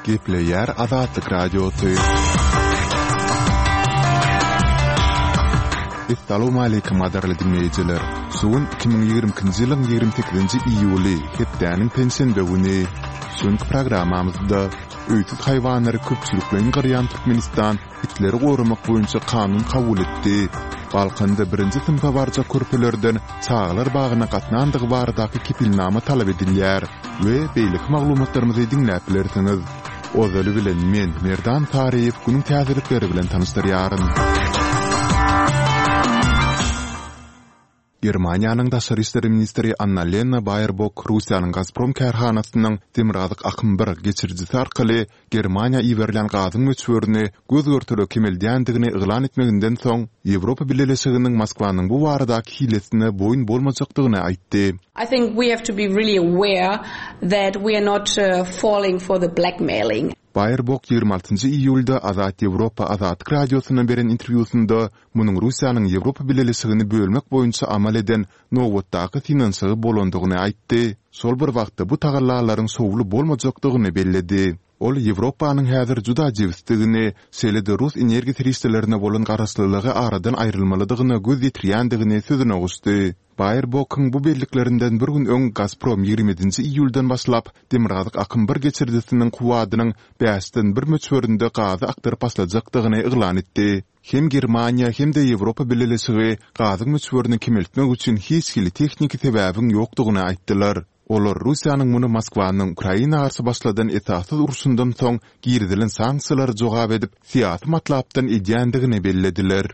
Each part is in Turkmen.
Gepleýär Azatlyk Radiosy. Essalawmaleýkim gadyrly diňleýjiler! Şu gün 2022-nji ýylyň 28-nji iýuly, hepdäniň penşenbe güni. Şu günki programmamyzda öýsüz haýwanlary köpçülikleýin gyrýan Türkmenistan itleri goramak boýunça kanun kabul etdi. Balkanda birinji synpa barjak körpelerden çagalar bagyna gatnandygy baradaky kepilnama talap edilýär we beýleki maglumatlarymyzy diňläp bilersiňiz. Ozaly bilen men, Merdan Saryýew günüň täzelikleri bilen tanyşdyrýaryn. Germaniýanyň daşary işler ministri Annalena Baerbok Russiýanyň Gazprom kärhanasynyň Demirgazyk akym bir geçirijisi arkaly Germaniýa iberilýän gazyň möçberini göz-görtele kemeldýändigini yglan etmeginden soň, Ýewropa Bileleşiginiň Moskwanyň bu baradaky hilesine boýun bolmajakdygyny aýtdy. I think we have to be really aware that we are not falling for the blackmailing. Baerbok 26 iýulda Azat Ýewropa Azatlyk Radiosyna beren interwýusynda munuň Russiýanyň Ýewropa Bileleşigini bölmek boýunça amal eden nobatdaky synanyşygy bolandygyny aýtdy, şol bir wagtda bu tagallalaryň şowly bolmajakdygyny belledi. Ol Ýewropanyň häzir juda jebisdigini, şeýle-de rus energiýa serişdelerine bolan garaşlylygy aradan aýrylmalydygyna göz ýetirýändigini sözüne goşdy. Baerbokyň bu belliklerinden bir gün öň Gazprom 27-nji iýuldan başlap Demirgazyk akym bir geçirijisiniň kuwwadynyň bäşden bir möçberinde gazy akdyryp başlajakdygyny yglan etdi. Hem Germaniýa, hem-de Ýewropa Bileleşigi gazyň möçberini kemeltmek üçin hiç hili tehniki sebäbiň ýokdugyny aýtdylar. Olar Russiýanyň muny Moskwanyň Ukraina garşy başladan esassyz urşundan soň girizilen sanksiýalara jogap edip, syýasy matlapdan edýändigini bellediler.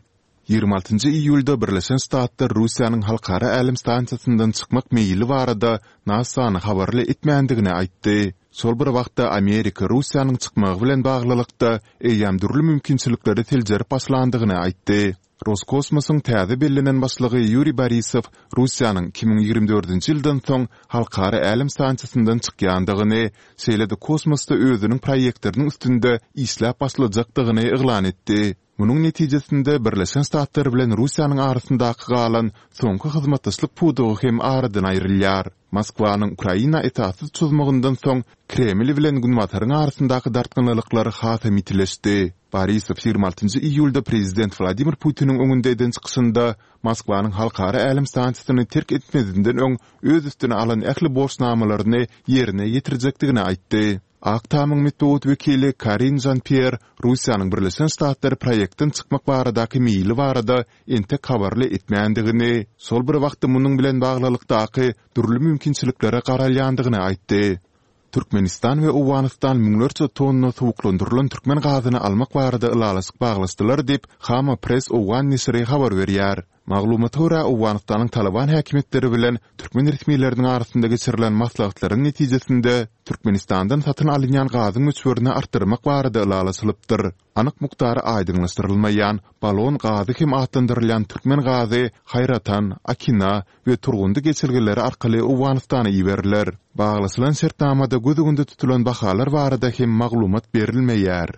26 iýulda Birleşen Ştatlar Russiýanyň Halkara älem stansiýasyndan çykmak meýili barada NASA-ny habarly etmändigini aýtdy. Şol bir wagtda Amerika Russiýanyň çykmagy bilen baglylykda eýýäm dürli mümkinçilikleri seljerip başlandygyny aýtdy. Roskosmosyň täze bellenen başlygy Ýuriý Borisow Russiýanyň 2024-nji ýyldan soň Halkara älem stansiýasyndan çykýandygyny, şeýle-de kosmosda özüniň proýektleriniň üstünde işläp başlajakdygyny yglan etdi. Munuň netijesinde Birleşen Ştatlar bilen Russiýanyň arasyndaky galan soňky hyzmatdaşlyk pudagy hem aradan aýrylýar. Moskwanyň Ukraina esassyz çozmagyndan soň Kreml bilen Günbataryň arasyndaky dartgynlylyklar hasam ýitileşdi. Borisow 26 iýulda prezident Wladimir Putiniň öňünde eden çykyşynda Moskwanyň Halkara älem stansiýasyny terk etmezinden öň öz üstüne alan ähli borçnamalaryny ýerine ýetirjekdigini aýtdy. Ak Tamyň metbugat wekili Karin Žan-Pýer Russiýanyň Birleşen Ştatlary proýektden çykmak baradaky meýili barada entek habarly etmändigini, şol bir wagtda munuň bilen baglylykdaky dürli mümkinçiliklere garalýandygyny aýtdy. Türkmenistan we Owganystan müňlerçe tonna suwuklandyrylan türkmen gazyny almak barada ylalaşyk baglaşdylar diýip, Khaama Press owgan neşiri habar berýär. Maglumata görä, Owganystanyň Talyban häkimiýetleri bilen türkmen resmileriniň arasynda geçirilen maslahatlaryň netijesinde, Türkmenistandan satyn alynýan gazyň möçberini artdyrmak barada ylalaşylypdyr. Anyk mukdary aýdyňlaşdyrylmaýan, balon gazy hem atlandyrylýan türkmen gazy Haýratan, Akina we Turgundy geçelgeleri arkaly Owganystana iberiler. Baglaşylan şertnamada göz öňünde tutulan bahalar barada hem maglumat berilmeýär.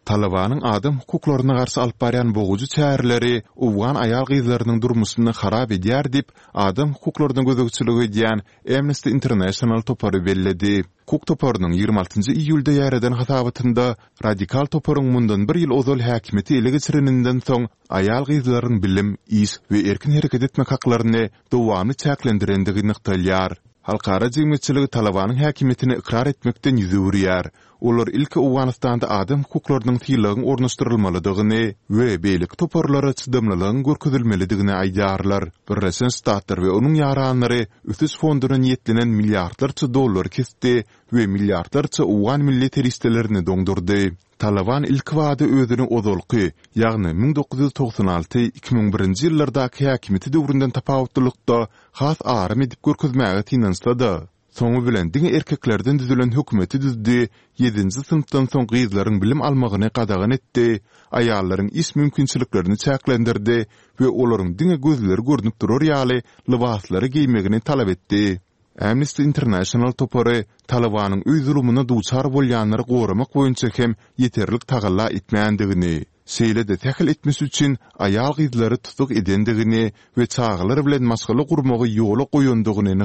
Talybanyň adam hukuklaryna garşy alyp barýan bogujy çäreleri owgan aýal-gyzlarynyň durmuşyny harap edýär diýip, adam hukuklaryna gözegçilik edýän Amnesty International topary belledi. Hukuk toparynyň 26 iýulda ýaýradan hasabatynda radikal toparyň mundan bir ýyl ozal häkimiýeti ele geçireninden soň aýal-gyzlaryň bilim, iş we erkin hereket etmek haklaryny dowamly çäklendirendigi nygtalýar. Halkara jemgyýetçiligi Talybanyň häkimiýetini ykrar etmekden ýüz öwürýär. Olar ilki Owganystanda adam hukuklarynyň sylagyň ornaşdyrylmalydygyny we beýleki toparlara çydamlylygyň görkezilmelidigini aýdýarlar. Birleşen Ştatlar we onuň ýaranlary ösüş fonduna niýetlenen milliardlarça dollary kesdi we milliardlarça owgan milli serişdelerini doňdurdy. Talyban ilkibada özüni ozalky, ýagny 1996, 2001-nji ýyllardaky häkimiýeti döwründen tapawutlylykda has aram edip görkezmäge synanyşsa-da, Soňy bilen diňe erkeklerden düzülen hökümeti düzdi, ýedinji synpdan soň gyzlaryň bilim almagyny gadagan etdi, aýallaryň iş mümkinçiliklerini çäklendirdi we olaryň diňe gözleri görnüp durar ýaly lybaslary geýmegini talap etdi. Amnesty International topary Talybanyň öý zulumyna duçar bolýanlary goramak boýunça hem ýeterlik tagalla etmändigini, şeýle-de sähel etmiş üçin aýal-gyzlary tussag edendigini we çagalar bilen maşgala gurmagy ýola goýandygyny nygtady.